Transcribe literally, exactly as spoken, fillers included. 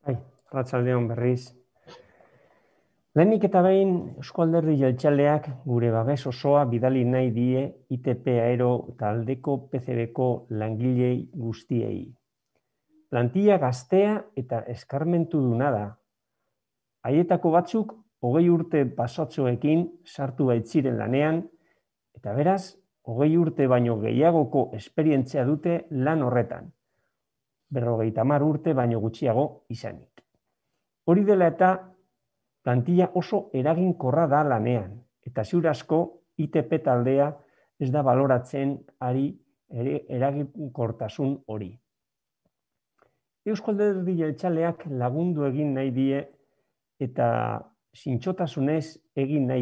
Bai, arratsaldeon berriz. Lehenik eta behin Euzko Alderdi Jeltzaleak gure babes osoa bidali nahi die I T P Aero taldeko P C Bko langilei guztiei. Plantilla gaztea eta eskarmentuduna da. Haietako batzuk hogei urte pasatxoekin sartu baitziren lanean, eta beraz, hogei urte baino gehiagoko esperientzia dute lan horretan. Berrogeita hamar urte baino gutxiago izanik. Hori dela eta plantilla oso eraginkorra da lanean, eta ziur asko I T P taldea ez da baloratzen ari eraginkortasun hori. Euzko Alderdi Jeltzaleak lagundu egin nahi die eta zintzotasunez egin nahi